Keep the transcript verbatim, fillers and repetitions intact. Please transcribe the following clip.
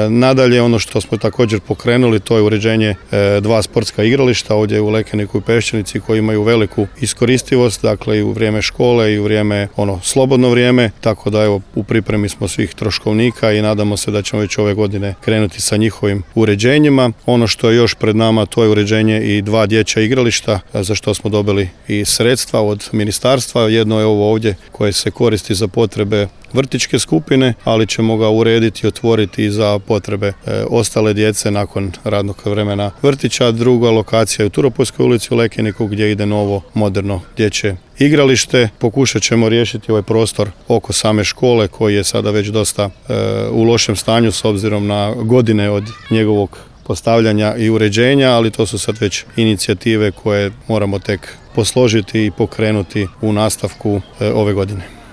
Nadalje, ono što smo također pokrenuli, to je uređenje dva sportska igrališta ovdje u Lekeniku i Peščanici koji imaju veliku iskoristivost, dakle i u vrijeme škole i u vrijeme ono slobodno vrijeme, tako da evo u pripremi smo svih troškovnika i nadamo se da ćemo već ove godine krenuti sa njihovim uređenjima. Ono što je još pred nama, to je uređenje i dva dječja igrališta za što smo dobili i sredstva od ministarstva. Jedno je ovo ovdje koje se koristi za potrebe vrtićke skupine, ali ćemo ga urediti i otvoriti i za potrebe e, ostale djece nakon radnog vremena vrtića. Druga lokacija je u Turopoljskoj ulici u Lekeniku gdje ide novo moderno dječje igralište. Pokušat ćemo riješiti ovaj prostor oko same škole koji je sada već dosta e, u lošem stanju s obzirom na godine od njegovog postavljanja i uređenja, ali to su sad već inicijative koje moramo tek posložiti i pokrenuti u nastavku e, ove godine.